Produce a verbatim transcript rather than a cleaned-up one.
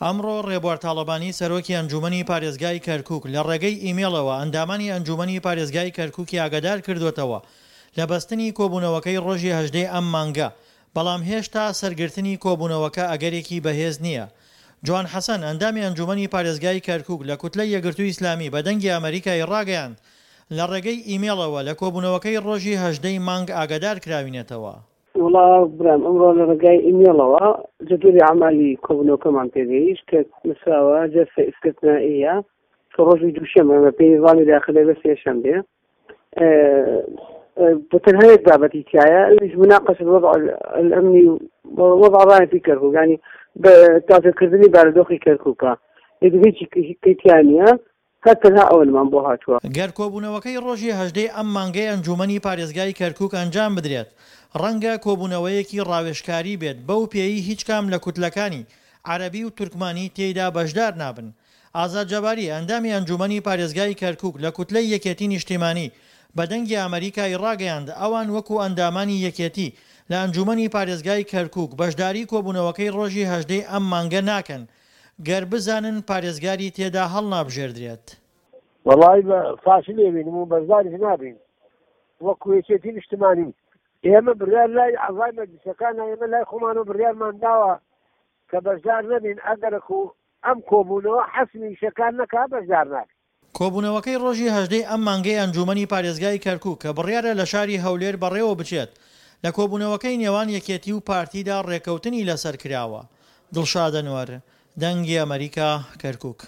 ئەمڕۆ ڕێبوار تاڵەبانی سەرۆکی ئەنجومەنی پارێزگای کەرکوک لە ڕێگەی ئیمێڵەوە ئەندامانی ئەنجومەنی پارێزگای کەرکوکی ئاگادار کردووەتەوە لە بەستنی کۆبوونەوەکەی ڕۆژی هەژدە ی ئەم مانگە، بەڵام هێشتا سەرگرتنی کۆبوونەوەکە ئەگەرێکی بەهێز نییە. جوان حەسەن، ئەندامی ئەنجومەنی پارێزگای کەرکوک لە کوتلەی یەکگرتووی ئیسلامی بە دەنگی ئەمەریکای ڕاگەیاند، لە ڕێگەی ئیمێڵەوە لە کۆبوونەوەکەی ڕۆژی هەژدە ی مانگ ئاگادار کراوینەتەوە. وەڵا برام ئەمڕۆ لە ڕێگای ئیمێڵەوە جەدوەلی ئەعمالی کۆبوونەوەکەمان پێگەیشت کە نووسراوە جەلسە ئیستثنائیە کە ڕۆژی دووشەممە بەپێی نیزامی داخلە بە سێشەم بێ بە تەنها یەک بابەتی تایە ئەویش مناقشە الوضع الامنی وضع الراهن في کەرکوک یعنی بە تازەکردنی بارودۆخی کەرکوکە ئیتر هیچی کەی تیا نییە هەر تەنها ئەوەنمان بۆ هاتووە. گەر کۆبوونەوەکەی ڕۆژی هەژدە ی ئەم مانگەی ئەنجوومەنی پارێزگای کەرکوک ئەنجام بدرێت، ڕەنگە کۆبوونەوەیەکی ڕاوێژکاری بێت بەو پێیی هیچ کام لە کوتلەکانی عەرەبی و تورکمانی تێیدا بەشدار نابن. ئازاد جەباری، ئەندامی ئەنجوومەنی پارێزگای کەرکوک لە کوتلەی یەکێتی نیشتیمانی بە دەنگی ئەمەریکای ڕاگەیاند ئەوان وەکو ئەندامانی یەکێتی لە ئەنجوومەنی پارێزگای کەرکوک بەشداری کۆبوونەوەکەی ڕۆژی هەژدە ی ئەم مانگە ناکەن گەر بزانن پارێزگاری تێدا هەڵنابژێردرێت. وەڵایی بە فاشل ئەبینم و بەشداریش نابین وەکو یەکێتی نیشتمانی ئێمە بڕیار لای ئەعزای مەجلیسەکانە ئێمە لای خۆمانەوە بڕیارمان داوە کە بەشدار نەبین ئەگەرەکو ئەم کۆبوونەوە حەسمی ئیشەکان نەکا بەشدار نابین. کۆبوونەوەکەی ڕۆژی هەژدە ی ئەم مانگەی ئەنجوومەنی پارێزگای کەرکوک کە بڕیارە لە شاری هەولێر بەڕێوە بچێت، لە کۆبوونەوەکەی نێوان یەکێتی و پارتیدا ڕێککەوتنی لەسەر کراوە. دڵشاد ئەنوەر، دەنگی ئەمەریکا، کەرکوک.